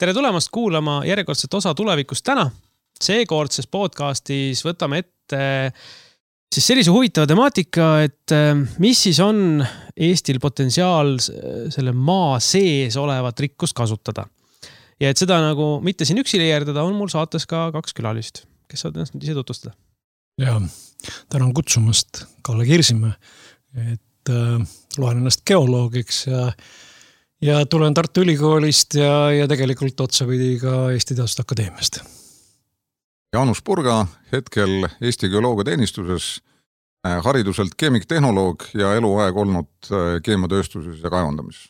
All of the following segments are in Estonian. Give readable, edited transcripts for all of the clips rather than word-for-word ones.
Tere tulemast kuulama järjekordset osa tulevikust täna. Seekordses podcastis võtame ette siis sellise huvitava temaatika, et mis siis on Eestil potentsiaal selle maa sees olevat rikkust kasutada. Ja et seda nagu mitte siin üksi leerdada, on mul saates ka 2 külalist, kes saavad ennast ise tutvustada. Ja, tänan kutsumast Kalle Kirsimäe, et loen ennast geoloogiks ja tulen Tartu Ülikoolist ja tegelikult otsapidi ka Eesti Teaduste Akadeemiast. Jaanus Purga, hetkel Eesti Geoloogiateenistuses, hariduselt keemiktehnoloog ja eluaeg olnud keemiatööstuses ja kaevandamises.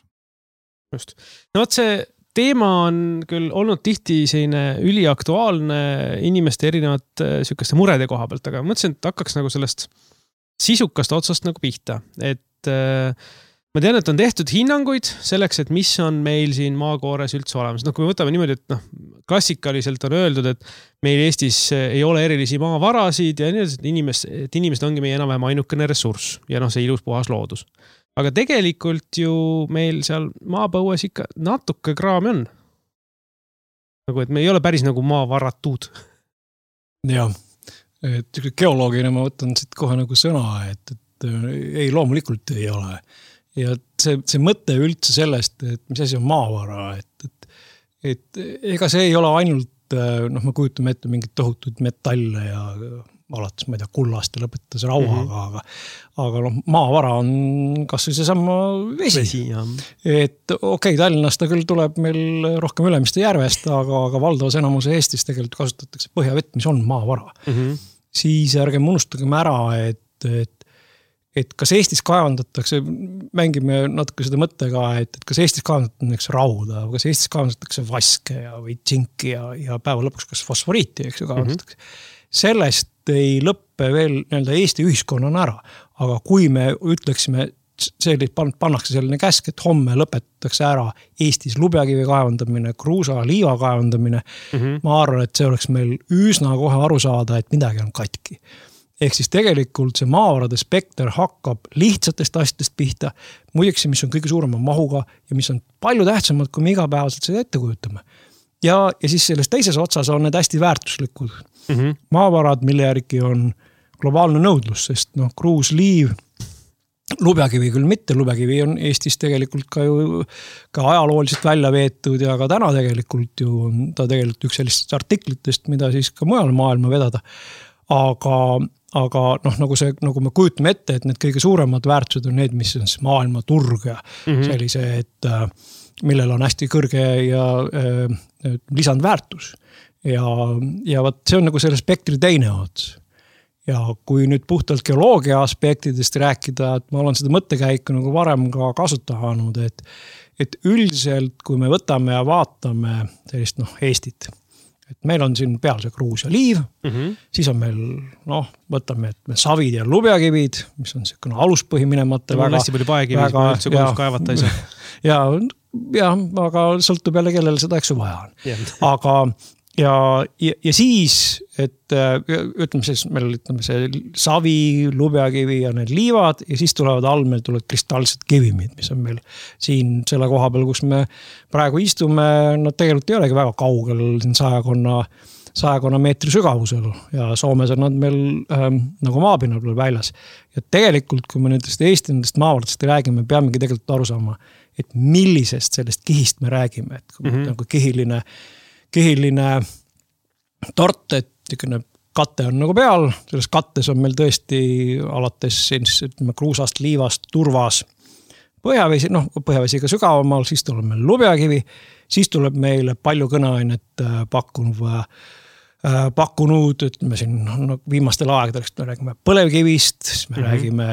Just. No võt see teema on küll olnud tihti selline üliaktuaalne inimeste erinevat sükeste murede koha pealt, aga mõtlesin, et hakkaks nagu sellest sisukast otsast nagu pihta. Et ma tean, et on tehtud hinnanguid selleks, et mis on meil siin maakoores üldse olemas. No kui me võtame niimoodi, et klassikaliselt on öeldud, et meil Eestis ei ole erilisi maavarasid ja nii, et inimesed ongi meie enam-vähem ainukene ressurss ja see ilus puhas loodus. Aga tegelikult ju meil seal maapõues ikka natuke kraami on. Nagu, et me ei ole päris nagu maavaratud. Ja, et geoloogina ma võtan siit kohe nagu sõna, et ei, loomulikult ei ole. Ja see mõte üldse sellest, et mis asi on maavara, et ega see ei ole ainult, me kujutame ette mingid tohutud metalle ja alates, ma ei tea, kullast ja lõpetades rauaga, aga maavara on kas või seesama vesi. Et okei, Tallinnast ta küll tuleb meil rohkem Ülemiste järvest, aga valdavas enamus Eestis tegelikult kasutatakse põhjavett, mis on maavara. Siis ärgem unustagem ära, et kas Eestis kaevandatakse, mängime natuke seda mõttega, et kas Eestis kaevandatakse rauda, kas Eestis kaevandatakse vaske või tsinki ja päeva lõpuks kas fosforiiti, eks ju, kaevandatakse. Sellest ei lõppe veel Eesti ühiskonnana ära, aga kui me ütleksime, pannakse selline käsk, et homme lõpetatakse ära Eestis lubjakivi kaevandamine, kruusa, liiva kaevandamine, ma arvan, et see oleks meil üsna kohe aru saada, et midagi on katki. Ehk siis tegelikult see maavarade spekter hakkab lihtsatest asjadest pihta, muideks, mis on kõige suurema mahuga ja mis on palju tähtsamad, kui me igapäevaselt seda ette kujutame. Ja siis selles teises otsas on need hästi väärtuslikud. Maavarad, mille järgi on globaalne nõudlus, sest kruus, liiv, lubjakivi küll mitte, lubjakivi on Eestis tegelikult ka ajalooliselt välja veetud ja ka täna tegelikult ju on ta tegelikult üks sellistest artiklitest, mida siis ka mujal maailma vedada. Aga nagu me kujutame ette, et need kõige suuremad väärtused on need, mis on maailma turg ja sellise, et millel on hästi kõrge ja lisandväärtus. Ja võt, see on nagu selle spektri teine ots. Ja kui nüüd puhtalt geoloogia aspektidest rääkida, et ma olen seda mõttekäiku nagu varem ka kasutanud, et üldiselt, kui me võtame ja vaatame sellist Eestit, et meil on siin peal see kruus ja liiv, siis on meil, võtame, et me savid ja lubjakivid, mis on selline aluspõhi minemata. On hästi palju paekivis, kui üldse kodus kaevata ei saa. Ja, aga sõltub jälle, kellel seda eks vaja on. Aga ja siis, et ütleme siis, meil ütleme see savi, lubjakivi ja need liivad ja siis tulevad all, meil tulevad kristalsed kivimid, mis on meil siin selle koha peal, kus me praegu istume, tegelikult ei olegi väga kaugel siin 100 meetri sügavusel ja Soomes on nad meil nagu maapinnal väljas. Ja tegelikult, kui me nendest maavaradest räägime, peamegi tegelikult aru saama, et millisest sellest kihist me räägime, et nagu kihiline tort, et katte on nagu peal, selles kattes on meil tõesti alates kruusast, liivast, turvas, põhjavesi, põhjavesiga sügavamal, siis tuleb meil lubjakivi, siis tuleb meile palju kõneainet pakkunud, ütleme siin viimastel aegadest me räägime põlevkivist, siis me räägime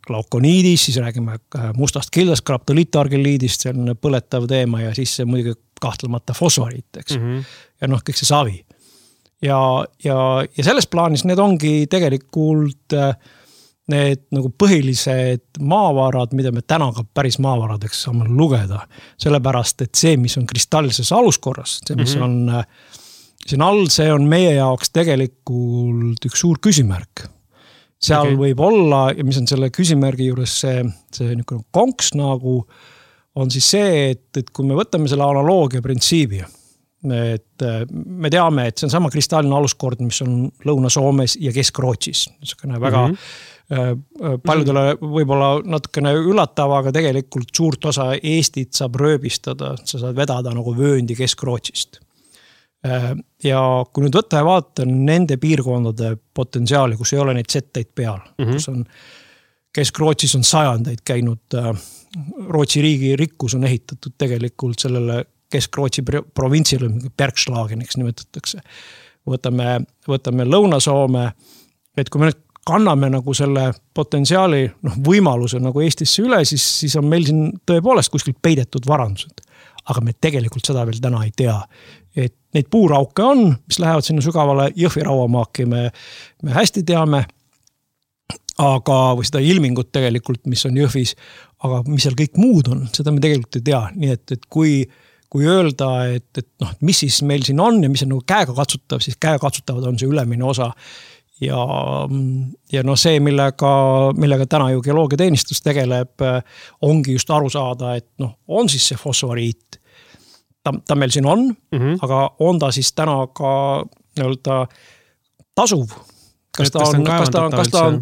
glaukoniidist, siis räägime mustast kildast, graptoliitargeliidist, selline põletav teema ja siis see muidugi kahtlemata fosforiit, eks. Ja kõik see savi. Ja selles plaanis need ongi tegelikult need nagu põhilised maavarad, mida me täna ka päris maavaradeks saame lugeda. Sellepärast, et see, mis on kristallses aluskorras, see, mis on siin all, see on meie jaoks tegelikult üks suur küsimärk. Seal võib olla, ja mis on selle küsimärgi juures see konks nagu, on siis see, et kui me võtame selle analoogia printsiibi, Et me teame, et see on sama kristaalne aluskord, mis on Lõuna-Soomes ja Kesk-Rootsis. Väga paljudele võib-olla natukene üllatav, aga tegelikult suurt osa Eestit saab rööbistada, sa saad vedada nagu vööndi Kesk-Rootsist. Ja kui nüüd võtta ja vaata nende piirkondade potentsiaali, kus ei ole neid setteid peal, kus on Kesk-Rootsis on sajandeid käinud, Rootsi riigi rikkus on ehitatud tegelikult sellele Kesk-Rootsi provintsile Bergslageniks nimetatakse. Võtame Lõuna-Soome, et kui me nüüd kanname nagu selle potentsiaali võimaluse nagu Eestisse üle, siis on meil siin tõepoolest kuskil peidetud varandused. Aga me tegelikult seda veel täna ei tea. Et neid puurauke on, mis lähevad sinna sügavale Jõhvi rauamaaki, me hästi teame, aga või seda ilmingut tegelikult, mis on Jõhvis, aga mis seal kõik muud on, seda me tegelikult ei tea. Nii et kui öelda, et mis siis meil siin on ja mis on nagu käega katsutav, siis käega katsutavad on see ülemine osa. Ja see, millega täna ju geoloogiateenistus tegeleb, ongi just aru saada, et on siis see fosforiit. Ta meil siin on, aga on ta siis täna ka tasuv. Kas ta on,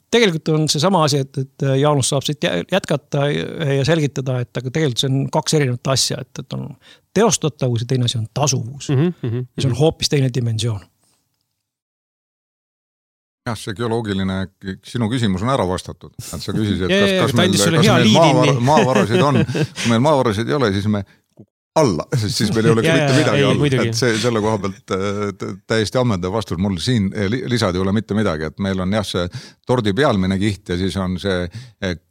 tegelikult on see sama asi, et Jaanus saab siit jätkata ja selgitada, et aga tegelikult see on kaks erinevat asja, et on teostatavus ja teine asi on tasuvus. Ja see on hoopis teine dimensioon. Jah, see geoloogiline, sinu küsimus on ära vastatud. Sa küsisid, et kas meil maavarasid on. Kui meil maavarasid ei ole, siis me alla, siis meil ei oleks mitte midagi all. Et selle koha pealt täiesti ammendav vastus. Mul siin lisad ei ole mitte midagi, et meil on see tordi pealmine kiht ja siis on see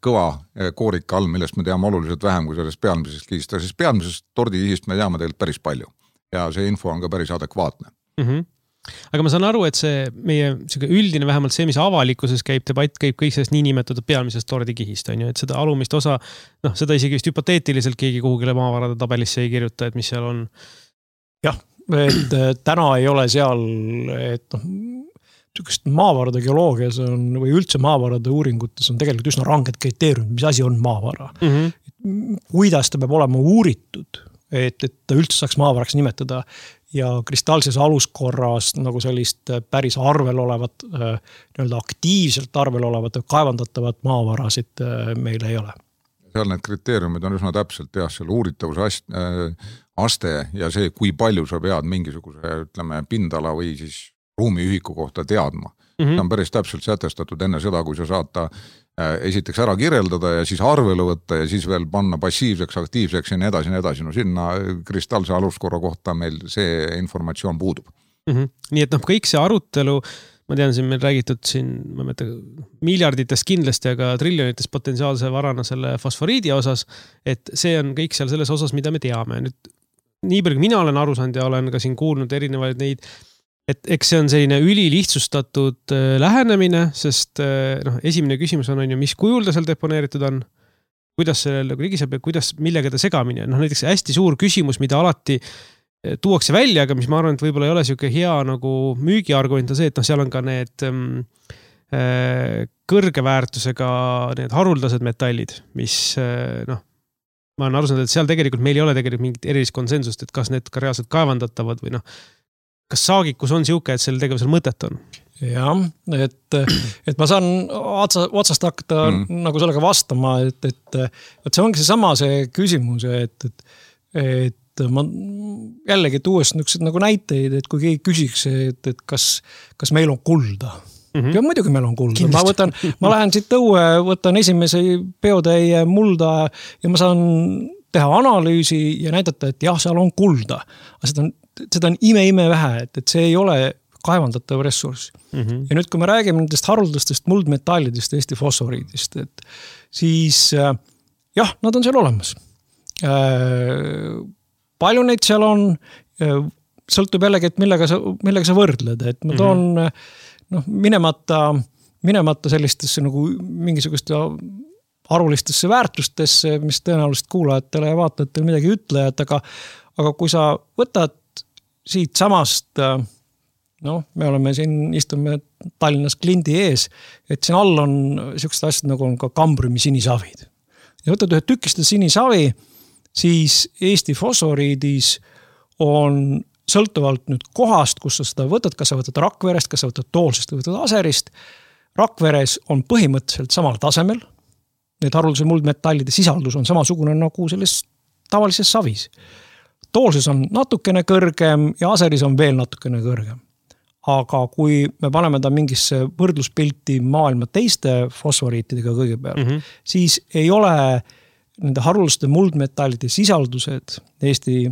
kõva koorik all, millest me teame oluliselt vähem kui sellest pealmisest kihist. Siis pealmisest tordi kihist me teame teilt päris palju ja see info on ka päris adekvaatne. Aga ma saan aru, et see meie üldine, vähemalt see, mis avalikkuses käib, debatt käib kõik sellest niinimetatud pealmisest tordikihist, on ju, et seda alumist osa, seda isegi vist hüpoteetiliselt keegi kuhugile maavarade tabelisse ei kirjuta, et mis seal on. Jah, et täna ei ole seal, et maavarade geoloogias on, või üldse maavarade uuringutes on tegelikult üsna ranged kriteeriumid, mis asi on maavara. Kuidas ta peab olema uuritud, et ta üldse saaks maavaraks nimetada ja kristaalses aluskorras nagu sellist päris arvel olevat, aktiivselt arvel olevat kaevandatavat maavarasid meil ei ole. Seal need kriteeriumid on üsna täpselt seal uuritavuse aste ja see, kui palju sa pead mingisuguse pindala või siis ruumiühiku kohta teadma. See on päris täpselt sätestatud enne seda, kui sa saad esiteks ära kirjeldada ja siis arvele võtta ja siis veel panna passiivseks, aktiivseks ja nii edasi. Sinna kristaalse aluskorra kohta meil see informatsioon puudub. Nii et kõik see arutelu, ma tean, siin meil räägitud ma mõtlen, miljarditest kindlasti, aga triljonitest potentsiaalse varana selle fosforiidi osas, et see on kõik seal selles osas, mida me teame. Nüüd, nii palju mina olen aru saanud ja olen ka siin kuulnud erinevaid neid, et eks see on selline ülilihtsustatud lähenemine, sest esimene küsimus on ju, mis kujul ta seal deponeeritud on, kuidas sellele ligi saab ja millega ta segamine. Näiteks hästi suur küsimus, mida alati tuuakse välja, aga mis ma arvan, et võib-olla ei ole siuke hea nagu müügiargument on see, et seal on ka need kõrge väärtusega need haruldased metallid, mis ma olen aru saanud, et seal tegelikult meil ei ole tegelikult mingit erilist konsensust, et kas need ka reaalselt kaevandatavad või kas saagikus on siuke, et selle tegevusel mõtet on? Jah, et ma saan otsast hakata nagu sellega vastama, et see ongi see küsimus, et ma jällegi tuues nagu näiteid, et kui keegi küsiks, et kas meil on kulda. Ja muidugi meil on kulda. Ma lähen siit õue, võtan esimese peotäie mulda ja ma saan teha analüüsi ja näidata, et jah, seal on kulda. Aga seda on ime vähe, et see ei ole kaevandatav ressurss. Ja nüüd, kui me räägime nendest haruldastest muldmetallidest, Eesti fosforiidist, et siis jah, nad on seal olemas. Palju neid seal on, sõltub jällegi, et millega sa võrdled, et ma toon minemata sellistesse nagu mingisugust arvulistesse väärtustesse, mis tõenäoliselt kuulajatele ja vaatajatele midagi ütlejad, aga kui sa võtad siit samast, me oleme siin, istume Tallinnas klindi ees, et siin all on sellised asjad nagu on ka kambriumi sinisavid. Ja võtad ühe tükiste sinisavi, siis Eesti fosforiidis on sõltuvalt nüüd kohast, kus sa seda võtad, kas sa võtad Rakverest, kas sa võtad Toolsest või võtad Aserist. Rakveres on põhimõtteliselt samal tasemel. Need haruldase muldmetallide sisaldus on samasugune nagu selles tavalises savis. Toolses on natukene kõrgem ja Aseris on veel natukene kõrgem. Aga kui me paneme ta mingisse võrdluspilti maailma teiste fosforiitidega kõigepealt, siis ei ole nende haruldaste muldmetallide sisaldused Eesti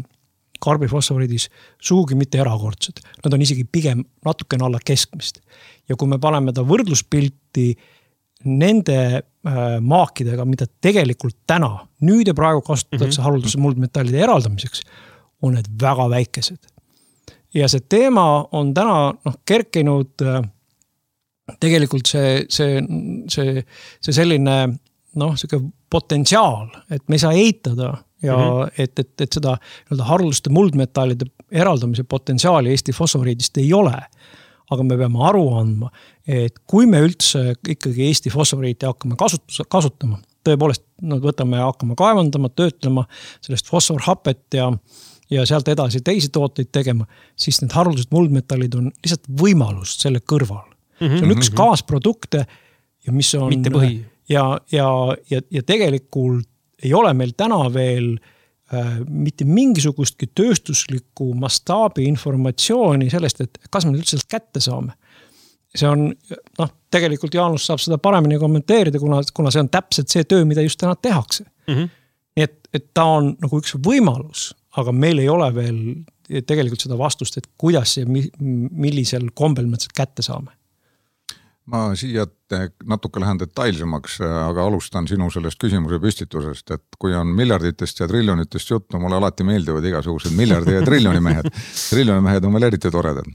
karbifosforiidis sugugi mitte erakordsed. Nad on isegi pigem natukene alla keskmist. Ja kui me paneme ta võrdluspilti nende maakidega, mida tegelikult täna, nüüd ja praegu kasutatakse haruldase muldmetallide eraldamiseks, on need väga väikesed. Ja see teema on täna kerkinud tegelikult see selline potentsiaal, et me ei saa eitada ja et seda haruldaste muldmetallide eraldamise potentsiaali Eesti fosforiidist ei ole. Aga me peame aru andma, et kui me üldse ikkagi Eesti fosforiiti hakkame kasutama, tõepoolest võtame ja hakkame kaevandama, töötlema sellest fosforhapet ja sealt edasi teisi tooteid tegema, siis need haruldased muldmetallid on lihtsalt võimalust selle kõrval. See on üks kaasprodukte ja mis on mitte põhi. Ja tegelikult ei ole meil täna veel mitte mingisugustki tööstuslikku mastaabi informatsiooni sellest, et kas me üldse kätte saame. See on, tegelikult Jaanus saab seda paremini kommenteerida, kuna see on täpselt see töö, mida just täna tehakse. Nii et ta on nagu üks võimalus, aga meil ei ole veel tegelikult seda vastust, et kuidas ja millisel kombel me seda kätte saame. Ma siia natuke lähen detailsemaks, aga alustan sinu sellest küsimuse püstitusest, et kui on miljarditest ja triljonitest juttu, mulle alati meeldivad igasugused miljardi ja triljonimehed. Triljonimehed on veel eriti toredad.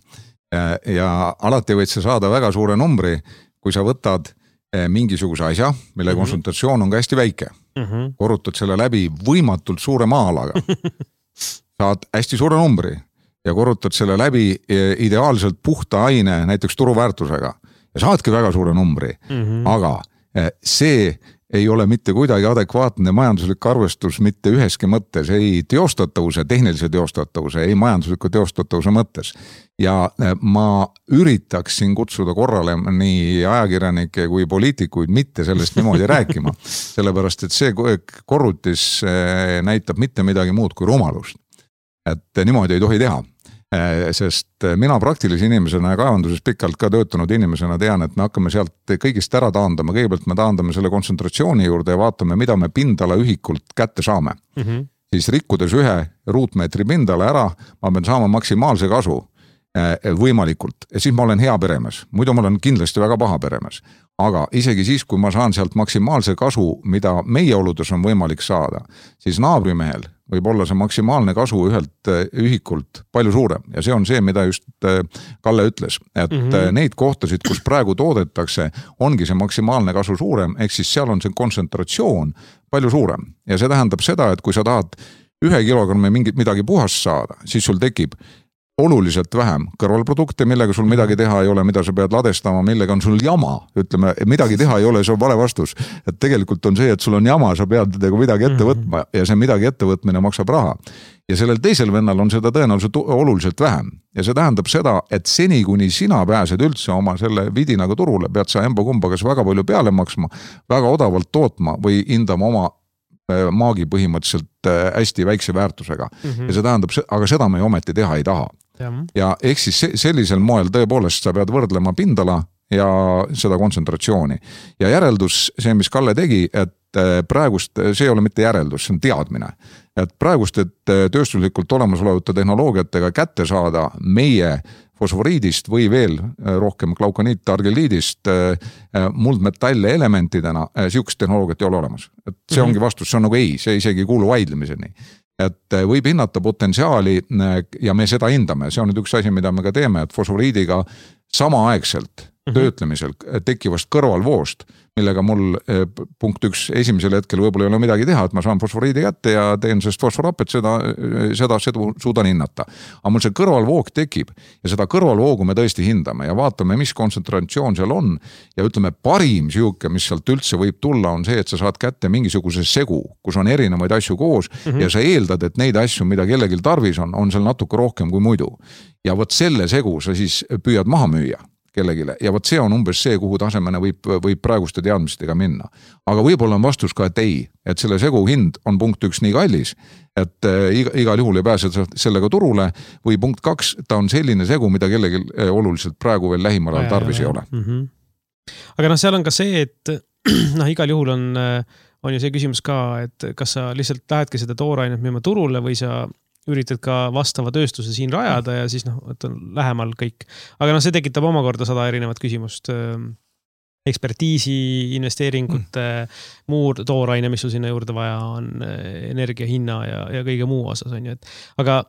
Ja alati võid sa saada väga suure numbri, kui sa võtad mingisuguse asja, mille konsultatsioon on ka hästi väike. Korrutad selle läbi võimatult suure maa-alaga. Saad hästi suure numbri ja korrutad selle läbi ideaalselt puhta aine, näiteks turuväärtusega. Ja saadki väga suure numbri, aga see ei ole mitte kuidagi adekvaatne majanduslik arvestus mitte üheski mõttes, ei teostatavuse, tehnilise teostatavuse, ei majandusliku teostatavuse mõttes. Ja ma üritaksin kutsuda korrale nii ajakirjanikke kui poliitikuid mitte sellest niimoodi rääkima, sellepärast et see korrutis näitab mitte midagi muud kui rumalust. Et niimoodi ei tohi teha. Sest mina praktilise inimesena ja kaevanduses pikalt ka töötanud inimesena tean, et me hakkame sealt kõigist ära taandama. Kõigepealt me taandame selle kontsentratsiooni juurde ja vaatame, mida me pindala ühikult kätte saame. Siis rikkudes 1 ruutmeetri pindala ära, ma pean saama maksimaalse kasu võimalikult. Ja siis ma olen hea peremees. Muidu ma olen kindlasti väga paha peremees. Aga isegi siis, kui ma saan sealt maksimaalse kasu, mida meie oludes on võimalik saada, siis naabrimehel võib olla see maksimaalne kasu ühelt ühikult palju suurem. Ja see on see, mida just Kalle ütles. Et neid kohtasid, kus praegu toodetakse, ongi see maksimaalne kasu suurem, ehk siis seal on see kontsentratsioon palju suurem. Ja see tähendab seda, et kui sa tahad 1 kilogrammi midagi puhast saada, siis sul tekib oluliselt vähem kõrvalprodukte, millega sul midagi teha ei ole, mida sa pead ladestama, millega on sul jama, ütleme, midagi teha ei ole, see on vale vastus. Et tegelikult on see, et sul on jama, sa pead midagi ette võtma ja see midagi ette võtmine maksab raha. Ja sellel teisel vennal on seda tõenäoliselt oluliselt vähem. Ja see tähendab seda, et seni kuni sina pääsed üldse oma selle vidinaga turule, pead sa emba-kumba kas väga palju peale maksma, väga odavalt tootma või hindama oma maagi põhimõtteliselt hästi väikse väärtusega. Ja see tähendab, aga seda me ometi teha ei taha. Ja ehk siis sellisel moel tõepoolest sa pead võrdlema pindala ja seda kontsentratsiooni. Ja järeldus, see mis Kalle tegi, et praegust, see ei ole mitte järeldus, see on teadmine. Et praegust, et tööstuslikult olemasolevate tehnoloogiatega kätte saada meie fosforiidist või veel rohkem glaukoniit argeliidist muldmetalle elementidena, siukest tehnoloogiat ei ole olemas. Et see ongi vastus, see on nagu ei, see isegi ei kuulu vaidlemiseni. Et võib hinnata potentsiaali ja me seda hindame. See on nüüd üks asi, mida me ka teeme, et fosforiidiga samaaegselt töötlemisel tekkivast kõrvalvoost, millega mul punkt 1 esimesel hetkel võib-olla ei ole midagi teha, et ma saan fosforiidi kätte ja teen sellest fosforapet, seda suudan hinnata. Aga mul see kõrvalvoog tekib ja seda kõrvalvoogu me tõesti hindame ja vaatame, mis kontsentratsioon seal on ja ütleme, parim siuke, mis sealt üldse võib tulla, on see, et sa saad kätte mingisuguse segu, kus on erinevaid asju koos ja sa eeldad, et neid asju, mida kellelgi tarvis on seal natuke rohkem kui muidu. Ja võt selle segu sa siis püüad maha müüa kellegile ja võt see on umbes see, kuhu tasemene võib praeguste teadmistega minna. Aga võib-olla on vastus ka, et ei, et selle segu hind on punkt 1 nii kallis, et igal juhul ei pääse sellega turule või punkt 2, ta on selline segu, mida kellelgi oluliselt praegu veel lähimal ajal tarvis ei ole. Aga seal on ka see, et igal juhul on ju see küsimus ka, et kas sa lihtsalt lähedki seda toorainet müüma turule või sa üritad ka vastava tööstuse siin rajada ja siis et on lähemal kõik. Aga see tekitab omakorda 100 erinevat küsimust. Ekspertiisi, investeeringute, muu tooraine, mis sul sinna juurde vaja on, energia hinna ja kõige muu osas on ju. Aga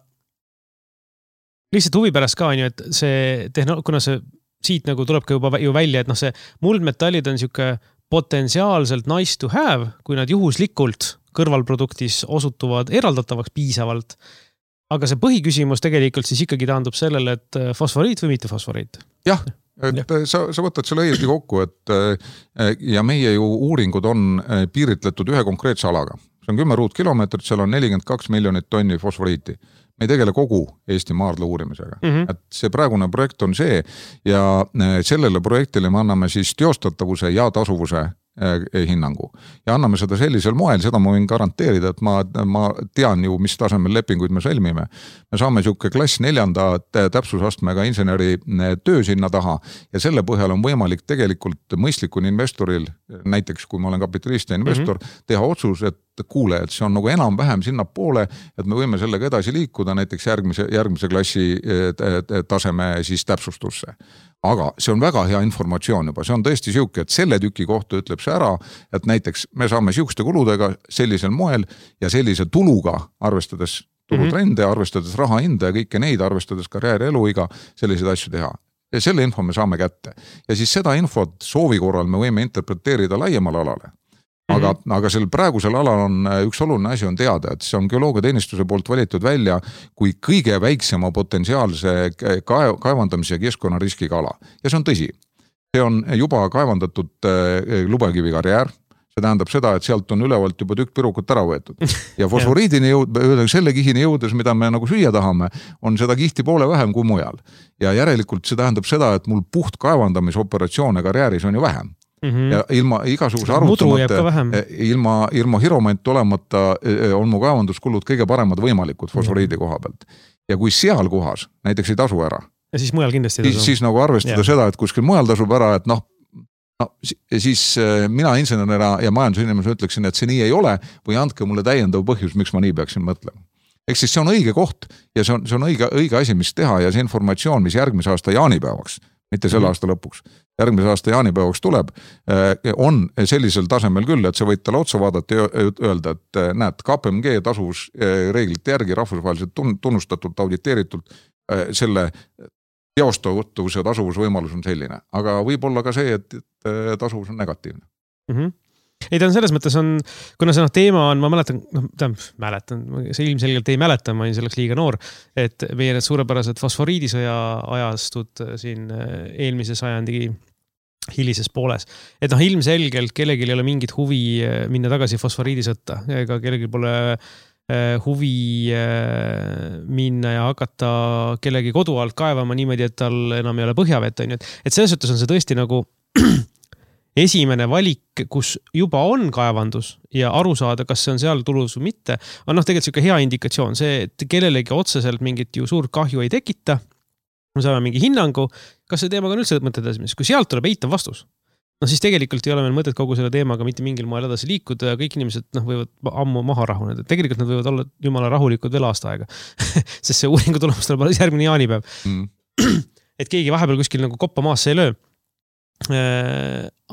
lihtsalt huvi pärast ka on ju, et see kuna see siit nagu tulebki juba ju välja, et see muldmetallid on siuke potentsiaalselt nice to have, kui nad juhuslikult kõrvalproduktis osutuvad eraldatavaks piisavalt. Aga see põhiküsimus tegelikult siis ikkagi taandub sellele, et fosforiit või mitte fosforiit? Jah, et sa võtad selle õiesti kokku, et ja meie ju uuringud on piiritletud ühe konkreetse alaga. See on 10 ruutkilomeetrit, seal on 42 miljonit tonni fosforiiti. Me ei tegele kogu Eesti maardla uurimisega. Et see praegune projekt on see ja sellele projektile me anname siis teostatavuse ja tasuvuse hinnangu. Ja anname seda sellisel moel, seda ma võin garanteerida, et ma tean ju, mis tasemel lepinguid me sõlmime. Me saame siuke klass 4. täpsusastmega inseneri töö sinna taha ja selle põhjal on võimalik tegelikult mõistlikul investoril, näiteks kui ma olen kapitalist ja investor, teha otsus, et kuule, et see on nagu enam-vähem sinna poole, et me võime sellega edasi liikuda näiteks järgmise klassi taseme siis täpsustusse. Aga see on väga hea informatsioon juba, see on tõesti siuke, et selle tüki kohta ütleb see ära, et näiteks me saame siukeste kuludega sellisel moel ja sellise tuluga, arvestades tulutrende, arvestades raha hinda ja kõike neid, arvestades karjääri eluiga, selliseid asju teha. Ja selle info me saame kätte. Ja siis seda infot soovi korral me võime interpreteerida laiemal alale. Aga sel praegusel alal on üks oluline asi on teada, et see on geoloogiateenistuse poolt valitud välja kui kõige väiksema potentsiaalse kaevandamise ja keskkonnariskiga ala. Ja see on tõsi. See on juba kaevandatud lubakivi karjäär. See tähendab seda, et sealt on ülevalt juba tükk pirukut ära võetud. Ja fosforiidini selle kihini jõudes, mida me nagu süüa tahame, on seda kihti poole vähem kui mujal. Ja järelikult see tähendab seda, et mul puht kaevandamisoperatsioone karjääris on ju vähem. Ja ilma igasuguse arvutamata, ilma hiromant olemata on mu kaevanduskulud kõige paremad võimalikud fosforiidi koha pealt. Ja kui seal kohas näiteks ei tasu ära, ja siis mujal kindlasti tasu. Siis nagu arvestada seda, et kuskil mujal tasub ära, et siis mina insenerina ja majandusinimesena ütleksin, et see nii ei ole või andke mulle täiendav põhjus, miks ma nii peaksin mõtlema. Eks siis see on õige koht ja see on õige asi, mis teha ja see informatsioon, mis järgmise aasta jaanipäevaks, mitte selle aasta lõpuks, järgmise aasta jaanipäevaks tuleb, on sellisel tasemel küll, et sa võid talle otsa vaadata ja öelda, et näed, KPMG tasuvusreeglite järgi rahvusvaheliselt tunnustatult, auditeeritult selle teostatavuse tasuvusvõimalus on selline. Aga võib olla ka see, et tasuvus on negatiivne. Ei, ta on selles mõttes on, kuna see teema on, ma mäletan, see ilmselgelt ei mäleta, ma olin selleks liiga noor, et meie need suurepärased fosforiidisõja ajastud siin eelmise sajandi hilises pooles. Et ilmselgelt kellelgi ei ole mingit huvi minna tagasi fosforiidisõtta, ega kellelgi pole huvi minna ja hakata kellegi kodu alt kaevama niimoodi, et tal enam ei ole põhjavett. Et selles suhtes on see tõesti nagu esimene valik, kus juba on kaevandus ja aru saada, kas see on seal tulus või mitte, on tegelikult selline hea indikatsioon. See, et kellelegi otseselt mingit ju suurt kahju ei tekita, me saame mingi hinnangu, kas see teemaga on üldse mõtet edasi. Kui sealt tuleb eitav vastus, siis tegelikult ei ole meil mõtet kogu selle teemaga mitte mingil moel edasi liikuda ja kõik inimesed võivad ammu maha rahuneda. Tegelikult nad võivad olla jumala rahulikud veel aasta aega, sest see uuringu tulemus tuleb alles järgmine jaanipäev. Et keegi vahepeal kuskil nagu koppa maasse ei löö.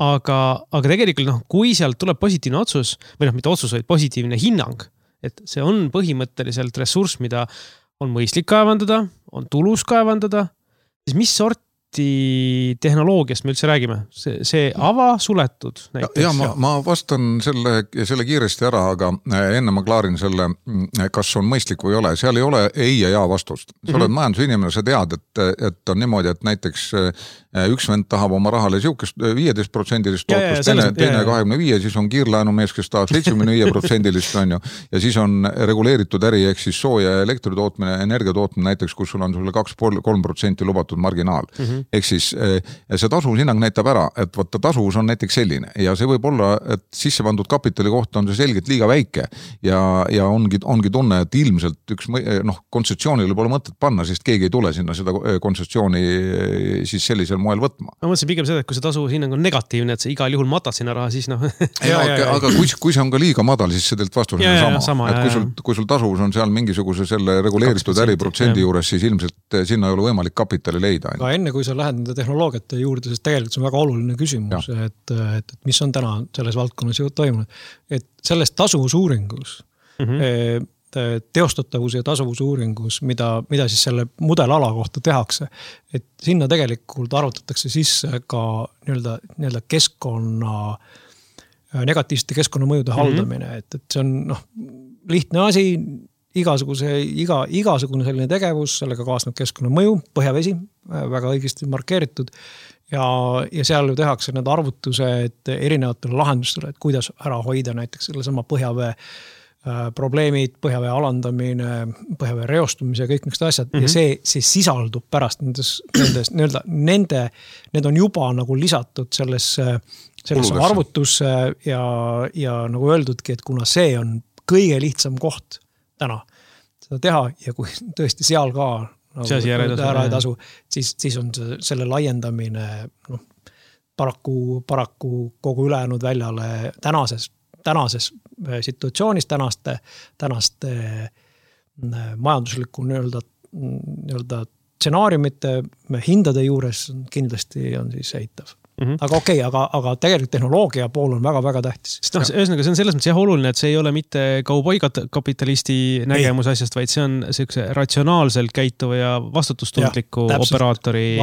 Aga tegelikult kui sealt tuleb positiivne otsus või mitte otsus, vaid positiivne hinnang, et see on põhimõtteliselt ressurss, mida on mõistlik kaevandada, on tulus kaevandada, siis mis sorti tehnoloogiast me üldse räägime? See avasuletud näiteks? Ja ma vastan selle kiiresti ära, aga enne ma klaarin selle, kas on mõistlik või ei ole. Seal ei ole ei ja vastust. Sa oled majandusinimene, sa tead, et on niimoodi, et näiteks üks vend tahab oma rahale siukest 15% tootlust, teine 25%, siis on kiirlaenumees, kes tahab 75% on ju, ja siis on reguleeritud äri, ehk siis sooja ja elektri tootmine, energia tootmine näiteks, kus sul on sulle 2-3% lubatud marginaal. Ehk siis see tasuvushinnang näitab ära, et vaata tasuvus on näiteks selline ja see võib olla, et sisse pandud kapitali kohta on see selgelt liiga väike ja ongi tunne, et ilmselt üks kontsessioonile pole mõtet panna, sest keegi ei tule sinna seda kontsessiooni siis sellisel moel võtma. Ma mõtlesin pigem seda, et kui see tasuvushinnang on negatiivne, et sa igal juhul matad sinna raha, siis aga kui see on ka liiga madal, siis see teilt vastus on sama. Et kui sul tasuvus on seal mingisuguse selle reguleeritud äriprotsendi juures, siis ilmselt sinna ei ole võimalik kapitali leida. Aga enne kui sa lähed nende tehnoloogiate juurde, sest tegelikult see on väga oluline küsimus, et mis on täna selles valdkonnas toimunud. Et sellest tasuvusuuringus, teostatavuse ja tasuvusuuringus, mida siis selle mudelala kohta tehakse, et sinna tegelikult arvutatakse sisse ka nii-öelda keskkonna, negatiivsete keskkonnamõjude haldamine, et see on lihtne asi, igasugune selline tegevus, sellega kaasneb keskkonnamõju, põhjavesi, väga õigesti markeeritud ja seal ju tehakse need arvutused erinevatele lahendustele, et kuidas ära hoida näiteks selle sama põhjavee probleemid, põhjavee alandamine, põhjavee reostumise ja kõik niisugused asjad ja see sisaldub pärast need on juba nagu lisatud sellesse arvutusse ja nagu öeldudki, et kuna see on kõige lihtsam koht täna seda teha ja kui tõesti seal ka ära ei tasu, siis on selle laiendamine paraku kogu ülejäänud väljale tänases situatsioonis, tänaste majandusliku nii-öelda stsenaariumite hindade juures kindlasti on siis eitav. Aga okei, aga tegelikult tehnoloogia pool on väga-väga tähtis. Ühesõnaga, see on selles mõttes hooluline, et see ei ole mitte kauboi-kapitalisti nägemus asjast, vaid see on sellise ratsionaalselt käituva ja vastutustundliku operaatori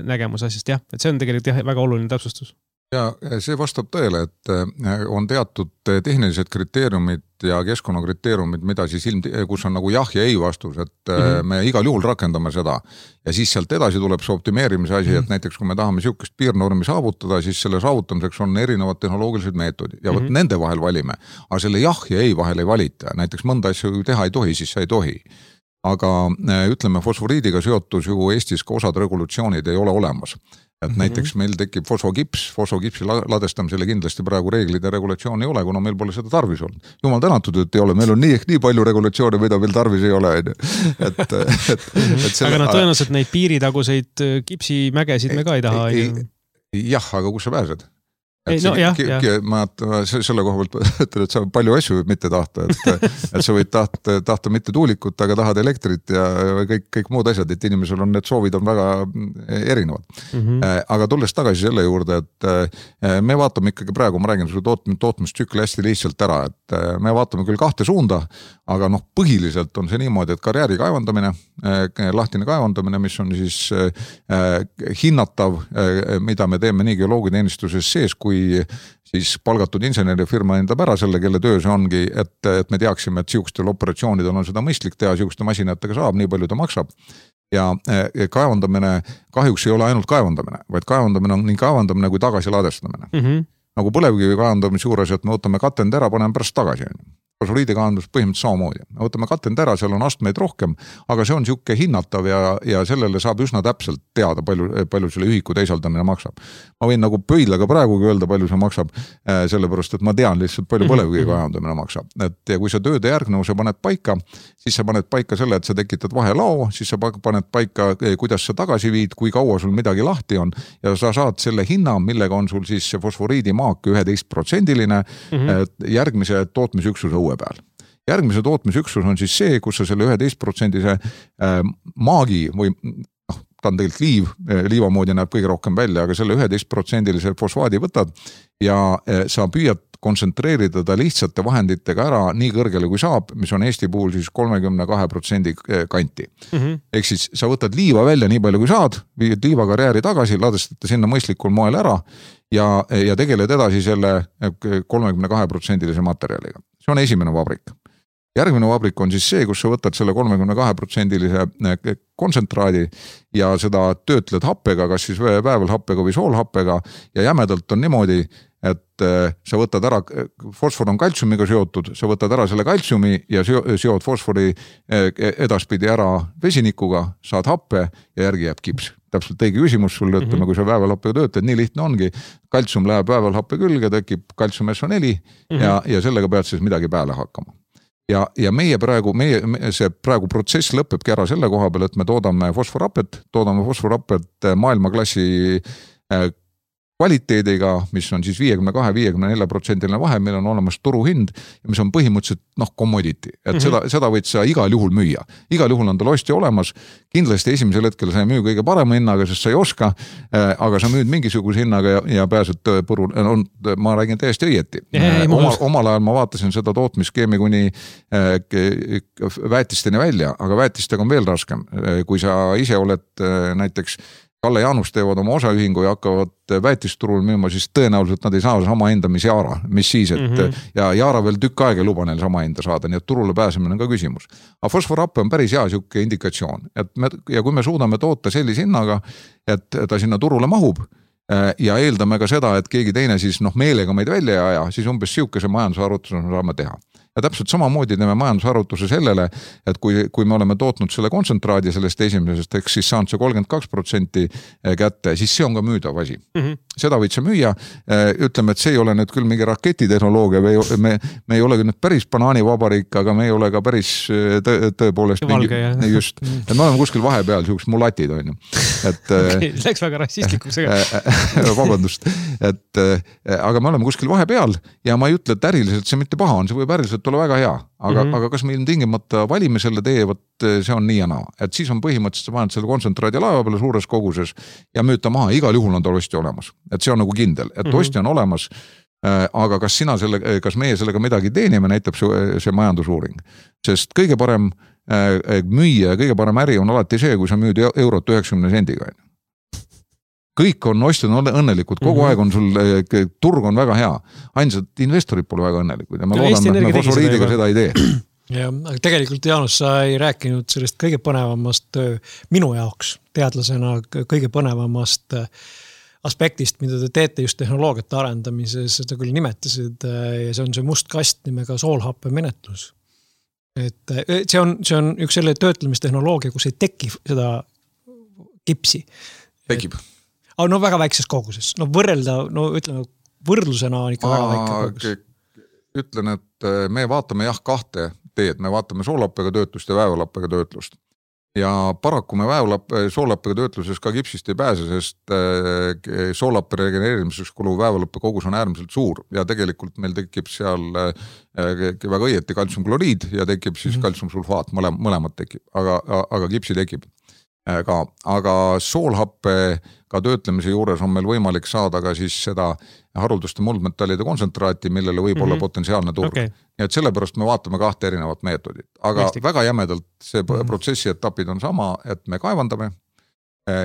nägemus asjast. Jah, et see on tegelikult väga oluline täpsustus. Ja see vastab tõele, et on teatud tehnilised kriteeriumid ja keskkonnakriteeriumid, mida siis kus on nagu jah ja ei vastus, et me igal juhul rakendame seda ja siis sealt edasi tuleb see optimeerimise asi, et näiteks kui me tahame siukest piirnormi saavutada, siis selle saavutamiseks on erinevad tehnoloogilised meetodid ja võt nende vahel valime, aga selle jah ja ei vahel ei valita, näiteks mõnda asju teha ei tohi, siis sa ei tohi. Aga ütleme, fosforiidiga seotus ju Eestis ka osad regulatsioonid ei ole olemas. Et näiteks meil tekib fosfokipsi ladestamisele kindlasti praegu reeglid ja regulatsioon ei ole, kuna meil pole seda tarvis olnud. Jumal tänatud, et ei ole, meil on nii palju regulatsioone, mida meil tarvis ei ole. Aga tõenäoliselt neid piiritaguseid kipsimägesid me ka ei taha. Jah, aga kus sa pääsed? Ma selle koha pealt ütlen, et sa palju asju võib mitte tahta, et sa võid tahta mitte tuulikut, aga tahad elektrit ja kõik muud asjad, et inimesel on need soovid on väga erinevad. Aga tulles tagasi selle juurde, et me vaatame ikkagi praegu, ma räägin sulle tootmistsükli hästi lihtsalt ära, et me vaatame küll kahte suunda, aga põhiliselt on see niimoodi, et karjääri kaevandamine, lahtine kaevandamine, mis on siis hinnatav, mida me teeme nii geoloogiateenistuses sees, kui siis palgatud insenerifirma endab ära selle, kelle töö see ongi, et me teaksime, et siukstel operatsioonidel on seda mõistlik teha, siukeste masinatega saab, nii palju ta maksab. Ja kaevandamine kahjuks ei ole ainult kaevandamine, vaid kaevandamine on nii kaevandamine kui tagasi ladestamine. Nagu põlevkivi kaevandamise juures, et me võtame katend ära, paneme pärast tagasi. Fosforiidi kaevandus põhimõtteliselt samamoodi. Me võtame katend ära, seal on astmeid rohkem, aga see on siuke hinnatav ja sellele saab üsna täpselt teada, palju selle ühiku teisaldamine maksab. Ma võin nagu pöidlaga praegugi öelda, palju see maksab, sellepärast, et ma tean lihtsalt, palju põlevkivi kaevandamine maksab. Ja kui sa tööde järgnevuse paned paika, siis sa paned paika selle, et sa tekitad vahelao, siis sa paned paika, kuidas sa tagasi viid, kui kaua sul midagi lahti on ja sa saad selle hinna, millega on sul siis fosforiidi maak 11%-line järgmise tootmisüksuse uue peal. Järgmise tootmisüksus on siis see, kus sa selle 11%-se maagi või ta on tegelikult liiva moodi näeb kõige rohkem välja, aga selle 11%-lise fosfaadi võtad ja sa püüad kontsentreerida ta lihtsate vahenditega ära nii kõrgele kui saab, mis on Eesti puhul siis 32% kanti. Ehk siis sa võtad liiva välja nii palju kui saad, viid liivakarjääri tagasi, ladestate sinna mõistlikul moel ära ja tegeled edasi selle 32% materjaliga. See on esimene vabrik. Järgmine vabrik on siis see, kus sa võtad selle 32% kontsentraadi ja seda töötled happega, kas siis väävelhappega või soolhappega ja jämedalt on niimoodi, et sa võtad ära, fosfor on kaltsiumiga seotud, sa võtad ära selle kaltsiumi ja seod fosfori edaspidi ära vesinikuga, saad happe ja järgi jääb kips. Täpselt õige küsimus sulle, ütleme, kui sa väävelhappega töötled, nii lihtne ongi, kaltsium läheb väävelhappe külge, tekib kaltsium SO4 ja sellega pead siis midagi pääle hakkama. Ja meie praegu protsess lõpebki ära selle koha peal, et me toodame fosforhappet maailmaklassi kvaliteediga, mis on siis 52-54% vahe, meil on olemas turuhind ja mis on põhimõtteliselt commodity, et seda võid sa igal juhul müüa. Igal juhul on tal ostja olemas, kindlasti esimesel hetkel sa ei müü kõige parema hinnaga, sest sa ei oska, aga sa müüd mingisuguse hinnaga ja pääsed põrul, ma räägin täiesti õieti. Omal ajal ma vaatasin seda tootmisskeemi kuni väetisteni välja, aga väetistega on veel raskem. Kui sa ise oled näiteks Kalle Jaanus teevad oma osaühingu ja hakkavad väetisturul müüma, siis tõenäoliselt nad ei saa sama hinda, mis Jaara, mis siis, et ja Jaara veel tükk aega ei luba neil sama hinda saada, nii et turule pääsemine on ka küsimus. Aga fosforhappe on päris hea siuke indikatsioon, ja kui me suudame toota sellise hinnaga, et ta sinna turule mahub ja eeldame ka seda, et keegi teine siis meelega meid välja ei aja, siis umbes siukese majandusarvutuse saame teha. Ja täpselt samamoodi teeme majandusarvutuse sellele, et kui me oleme tootnud selle kontsentraadi sellest esimesest, eks siis saanud see 32% kätte, siis see on ka müüdav asi. Seda võid sa müüa, ütleme, et see ei ole nüüd küll mingi raketitehnoloogia, me ei ole nüüd päris banaanivabariik, aga me ei ole ka päris tõepoolest valge, just, et me oleme kuskil vahepeal, siuksed mulatid on ju. Läks väga rassistlikuks. Vabandust, aga me oleme kuskil vahepeal ja ma ei ütle, et äriliselt see mitte paha on, see võib äriliselt olla väga hea, aga kas me ilmtingimata valime selle tee, see on nii ja naa. Et siis on põhimõtteliselt, sa paned selle kontsentraadi laeva peale suures koguses ja müüd ta maha, igal juhul on tal ostja olemas. Et see on nagu kindel, et ostja on olemas, aga kas meie sellega midagi teenime, näitab see majandusuuring. Sest kõige parem müüa ja kõige parem äri on alati see, kui sa müüd eurot 90 sendiga. Kõik on ostjad õnnelikud, kogu aeg on sul, turg on väga hea. Ainsad investorid pole väga õnnelikud ja me loodame, et me fosforiidiga seda ei tee. Ja, aga tegelikult Jaanus, sa ei rääkinud sellest kõige põnevamast minu jaoks teadlasena kõige põnevamast aspektist, mida te teete just tehnoloogiate arendamises, seda küll nimetasid ja see on see must kast nimega soolhappe menetlus. Et see on üks selle töötlemistehnoloogia, kus ei teki seda kipsi. Tekib. Aga väga väikses koguses. Ütleme, võrdlusena on ikka väga väike kogus. Ütlen, et me vaatame kahte teed, me vaatame soolhappega töötlust ja väävelhappega töötlust. Ja paraku me soolhappega töötluses ka kipsist ei pääse, sest soolhappe regeneerimiseks kuluv väävelhappe kogus on äärmiselt suur ja tegelikult meil tekib seal väga õieti kaltsiumkloriid ja tekib siis kaltsiumsulfaat, mõlemad tekib, aga kipsi tekib. Aga soolhappe ka töötlemise juures on meil võimalik saada ka siis seda harulduste muldmetallide kontsentraati, millele võib olla potentsiaalne turg. Nii et sellepärast me vaatame kahte erinevat meetodit. Aga väga jämedalt see protsessi etapid on sama, et me kaevandame,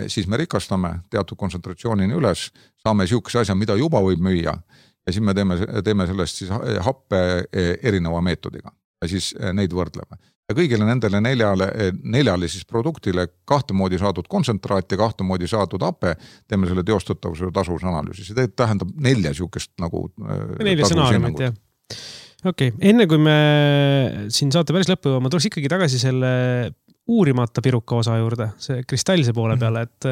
siis me rikastame teatud kontsentratsioonini üles, saame siukese asja, mida juba võib müüa ja siis me teeme sellest siis happe erineva meetodiga ja siis neid võrdleme. Ja kõigile nendele neljale siis produktile kahte moodi saadud kontsentraat ja kahte moodi saadud happe, teeme selle teostatavuse tasuvusanalüüsi. See tähendab 4 siukest nagu 4 stsenaariumit, jah. Okei, enne kui me siin saate päris lõppu, ma tuleks ikkagi tagasi selle uurimata piruka osa juurde, see kristallse poole peale, et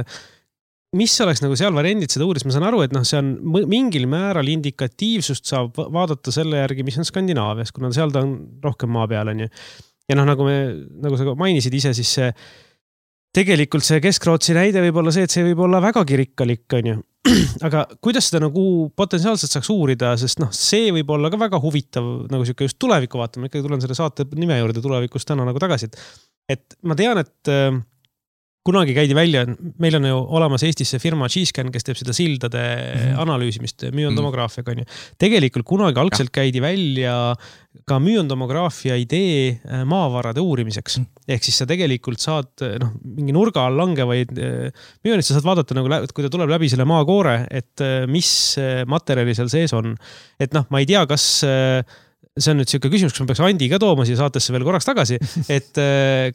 mis oleks nagu seal variandid seda uuris, ma saan aru, et see on mingil määral indikatiivsust saab vaadata selle järgi, mis on Skandinaavias, kuna seal ta on rohkem maa peal, on ju. Ja nagu sa mainisid ise, siis tegelikult see Kesk-Rootsi näide võib olla see, et see võib olla vägagi rikkalik, on ju. Aga kuidas seda nagu potentsiaalselt saaks uurida, sest see võib olla ka väga huvitav nagu siuke just tuleviku vaatama, ikkagi tulen selle saate nime juurde tulevikust täna nagu tagasi. Et ma tean, et kunagi käidi välja, meil on ju olemas Eestis see firma G-Scan, kes teeb seda sildade analüüsimist, müontomograafiaga on ju. Tegelikult kunagi algselt käidi välja ka müontomograafia idee maavarade uurimiseks. Ehk siis sa tegelikult saad mingi nurga all langevaid müonid, sa saad vaadata, nagu, kui ta tuleb läbi selle maakoore, et mis materjali seal sees on. Et ma ei tea, kas see on nüüd selline küsimus, kas ma peaks Andi ka tooma siia saatesse veel korraks tagasi, et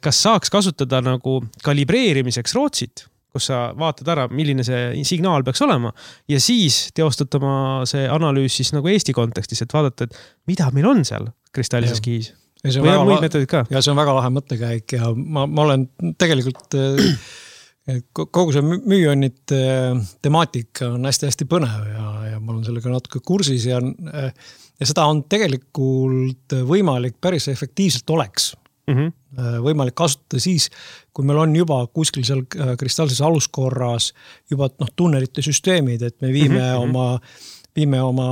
kas saaks kasutada nagu kalibreerimiseks Rootsit, kus sa vaatad ära, milline see signaal peaks olema ja siis teostatama see analüüs siis nagu Eesti kontekstis, et vaadata, et mida meil on seal kristallises kihis. Või on muid metodid ka? Ja see on väga lahe mõttekäik ja ma olen tegelikult kogu see müonite temaatika on hästi-hästi põnev ja ma olen sellega natuke kursis ja seda on tegelikult võimalik päris efektiivselt oleks. Võimalik kasutada siis, kui meil on juba kuskil seal kristallses aluskorras juba tunnelite süsteemid, et me viime oma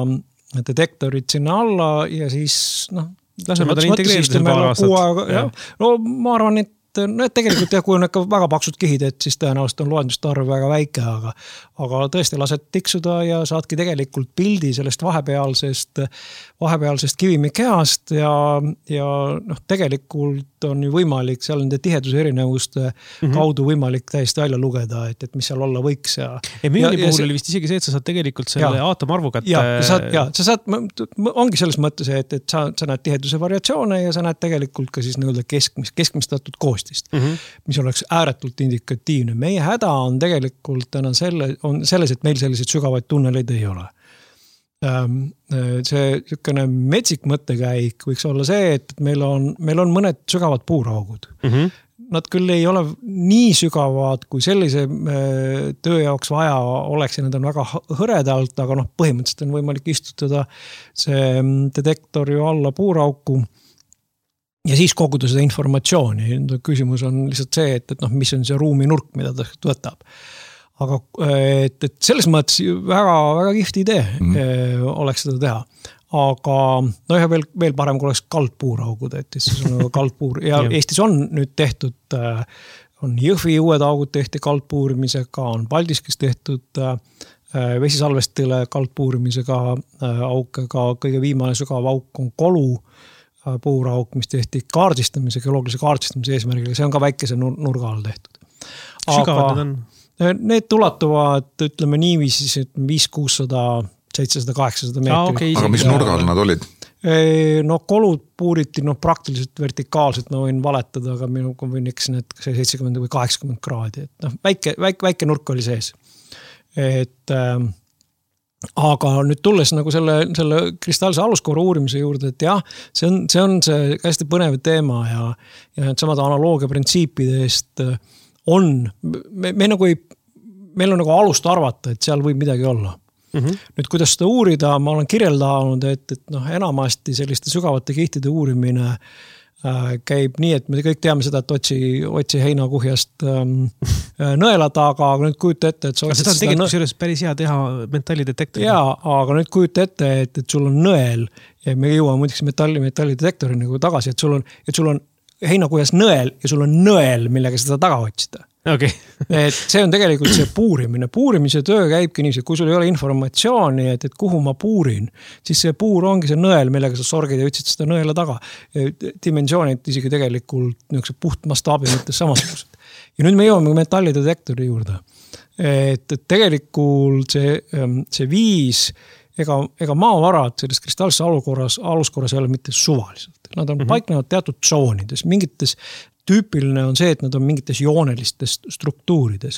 detektorid sinna alla ja siis laseme ta integreeritud paar aastat. No ma arvan, et tegelikult kui on ikka väga paksud kihid, et siis tõenäoliselt on loenduste arv väga väike, aga tõesti lased tiksuda ja saadki tegelikult pildi sellest vahepealsest kivimikehast ja tegelikult on ju võimalik seal nende tiheduse erinevuste kaudu võimalik täiesti välja lugeda, et mis seal olla võiks. Müoni puhul oli vist isegi see, et sa saad tegelikult selle aatomarvu kätte. Ja sa saad, ongi selles mõttes, et sa näed tiheduse variatsioone ja sa näed tegelikult ka siis nõuda keskmistatud koostist, mis oleks ääretult indikatiivne. Meie häda on tegelikult täna selles, et meil selliseid sügavaid tunneleid ei ole. See niisugune metsik mõttekäik võiks olla see, et meil on mõned sügavad puuraugud. Nad küll ei ole nii sügavad, kui sellise töö jaoks vaja oleks ja need on väga hõredalt, aga põhimõtteliselt on võimalik istutada see detektor ju alla puurauku ja siis koguda seda informatsiooni. Küsimus on lihtsalt see, et mis on see ruuminurk, mida ta võtab. Aga et selles mõttes väga, väga kihvt idee oleks seda teha. Aga ja veel parem, kui oleks kaldpuuraugud, et siis on kaldpuur. Ja Eestis on nüüd tehtud, on Jõhvi uued augud tehti kaldpuurimisega, on Paldiskis tehtud vesisalvestile kaldpuurimisega auke, ka kõige viimane sügav auk on Kolu puurauk, mis tehti geoloogilise kaardistamise eesmärgiga. See on ka väikese nurga all tehtud. Sügavad need on? Need ulatuvad, ütleme niiviisi, 500, 600, 700, 800 meetrit. Aga mis nurga all nad olid? Kolud puuriti praktiliselt vertikaalselt, ma võin valetada, aga minu võin eksin, et 70 või 80 kraadi. Väike nurk oli sees. Aga nüüd tulles nagu selle kristallse aluskoora uurimise juurde, et jah, see on see hästi põnev teema ja need samad analoogia printsiipidest meil on nagu alust arvata, et seal võib midagi olla. Nüüd, kuidas seda uurida, ma olen kirjeldanud, et enamasti selliste sügavate kihtide uurimine käib nii, et me kõik teame seda, et otsi heinakuhjast nõela taga, aga nüüd kujuta ette, et seda on tegelikult päris hea teha metallidetektori. Jaa, aga nüüd kujuta ette, et sul on nõel ja me jõuame muidugi metallidetektori nagu tagasi, et sul on heinakuhjas nõel ja sul on nõel, millega seda taga otsida. Okay. Et see on tegelikult see puurimine. Puurimise töö käibki niiviisi, kui sul ei ole informatsiooni, et kuhu ma puurin, siis see puur ongi see nõel, millega sa sorgid ja ütsid seda nõela taga. Dimensioonid isegi tegelikult niisuguse puht mastaabi mõttes samasugused. Ja nüüd me jõuame metallidetektori juurde. Et tegelikult see viis, ega maavarad selles kristallses aluskorras ei ole mitte suvaliselt. Nad on paiknevad teatud tsoonides, mingites tüüpiline on see, et nad on mingites joonelistes struktuurides.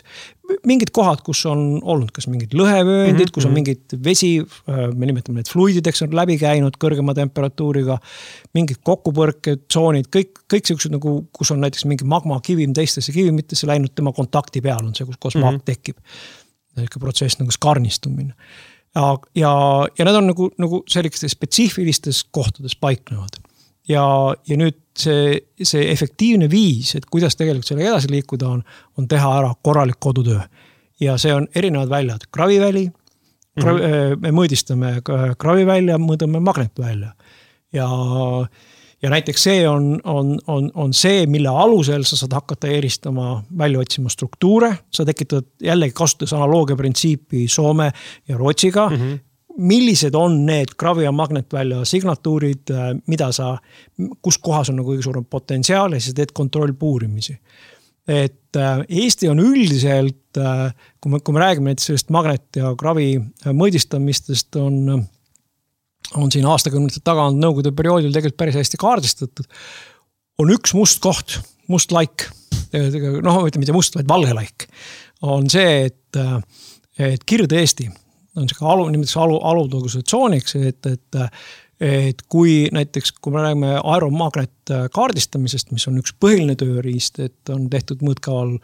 Mingid kohad, kus on olnud kas mingid lõhevööndid, kus on mingid vesi, me nimetame need fluidideks on läbi käinud kõrgema temperatuuriga, mingid kokkupõrked, tsoonid, kõik sellised nagu, kus on näiteks mingi magma kivim teistesse kivimitesse läinud, tema kontakti peal on see, kus maak tekib. Protsess nagu skarnistumine. Ja need on nagu sellistes spetsiifilistes kohtades paiknevad. Ja nüüd see efektiivne viis, et kuidas tegelikult selle edasi liikuda on teha ära korralik kodutöö. Ja see on erinevad väljad. Kraviväli, me mõõdistame kravivälja, mõõdame magnetvälja. Ja ja näiteks see on see, mille alusel sa saad hakata eristama, välja otsima struktuure, sa tekitad jällegi kasutades analoogia printsiipi Soome ja Rootsiga, millised on need gravi- ja magnetvälja signatuurid, kus kohas on kõige suurem potentsiaal ja siis teed kontrollpuurimisi. Et Eesti on üldiselt, kui me räägime näiteks sellest magnet- ja gravi mõõdistamistest, on siin aastakümnete taga on nõukogude perioodil tegelikult päris hästi kaardistatud. On üks must koht, must laik, mitte must, vaid valge laik. On see, et Kirde-Eesti on alutõuguse tsooniks, et kui näiteks, kui me räägime aeromagnet kaardistamisest, mis on üks põhiline tööriist, et on tehtud mõõtkaval,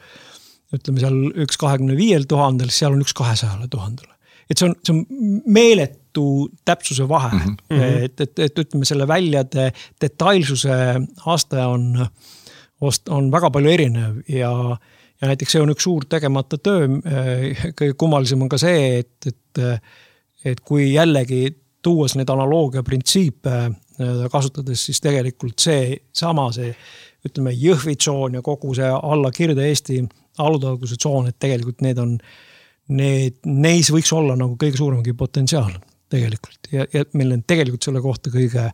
ütleme seal 1,25 000, siis seal on 1,200 000. Et see on meeletu täpsuse vahe, et ütleme selle väljade detailsuse aste on väga palju erinev ja näiteks see on üks suur tegemata töö, kõige kummalisem on ka see, et kui jällegi tuues need analoogia printsiipe kasutades, siis tegelikult see, ütleme, Jõhvi tsoon ja kogu see alla Kirde-Eesti alutõuguse tsoon, et tegelikult neis võiks olla nagu kõige suuremgi potentsiaal tegelikult. Ja meil on tegelikult selle kohta kõige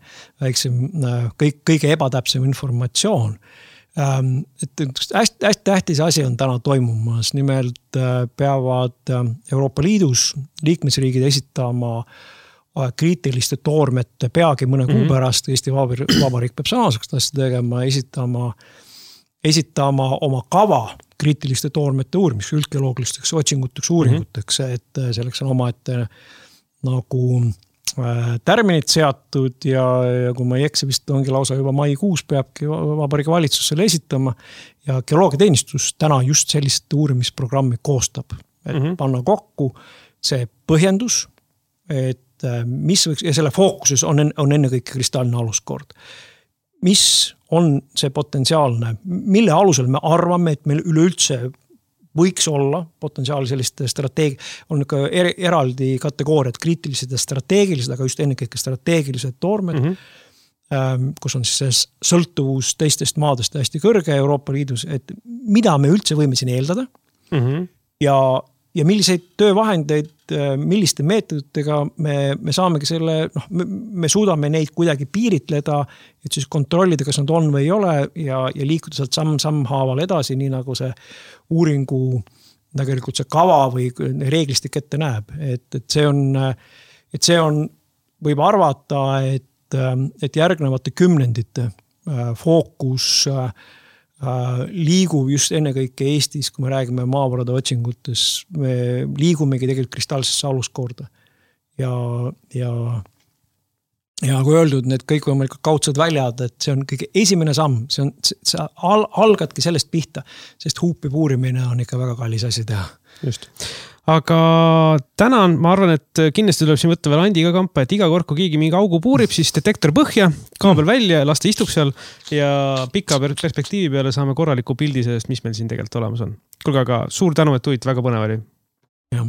väiksem, kõige ebatäpsem informatsioon. Et hästi tähtis asi on täna toimumas. Nimelt peavad Euroopa Liidus liikmesriigid esitama kriitiliste toormete peagi mõne kuu pärast. Eesti Vabariik peab samasugust asja tegema, esitama oma kava kriitiliste toormete uurimiseks, üldgeoloogilisteks otsinguteks, uuringuteks, et selleks on omaette nagu tärminid seatud ja kui ma ei eksi, vist ongi lausa juba maikuus peabki Vabariigi valitsus selle esitama ja geoloogiateenistus täna just sellist uurimisprogrammi koostab, et panna kokku see põhjendus, et mis võiks, ja selle fookuses on ennekõike kristaalne aluskord. Mis on see potentsiaalne, mille alusel me arvame, et meil üleüldse võiks olla potentsiaali selliste on ka eraldi kategooriad, kriitilised ja strateegilised, aga just ennekõike strateegilised toormed, kus on siis see sõltuvus teistest maadest hästi kõrge Euroopa Liidus, et mida me üldse võime siin eeldada ja milliseid töövahendeid, milliste meetoditega me saamegi selle, me suudame neid kuidagi piiritleda, et siis kontrollida, kas nad on või ei ole ja liikuda sealt samm-haaval edasi, nii nagu see uuringu tegelikult see kava või reeglistik ette näeb. Et see on, võib arvata, et järgnevate kümnendite fookus liigub just ennekõike Eestis, kui me räägime maavarade otsingutes, me liigumegi tegelikult kristaalsesse aluskorda. Ja kui öeldud, need kõik võimalikud kaudsed väljad, et see on kõige esimene samm, see algadki sellest pihta, sest huupi puurimine on ikka väga kallis asi teha. Just. Aga tänan, ma arvan, et kindlasti tuleb siin võtta veel Andiga kampa, et iga kord, kui keegi mingi augu puurib, siis detektor põhja, kaabel välja, las ta istub seal ja pika perspektiivi peale saame korraliku pildi sellest, mis meil siin tegelikult olemas on. Kuulge, aga suur tänu, et tulid, väga põnev oli. Jah.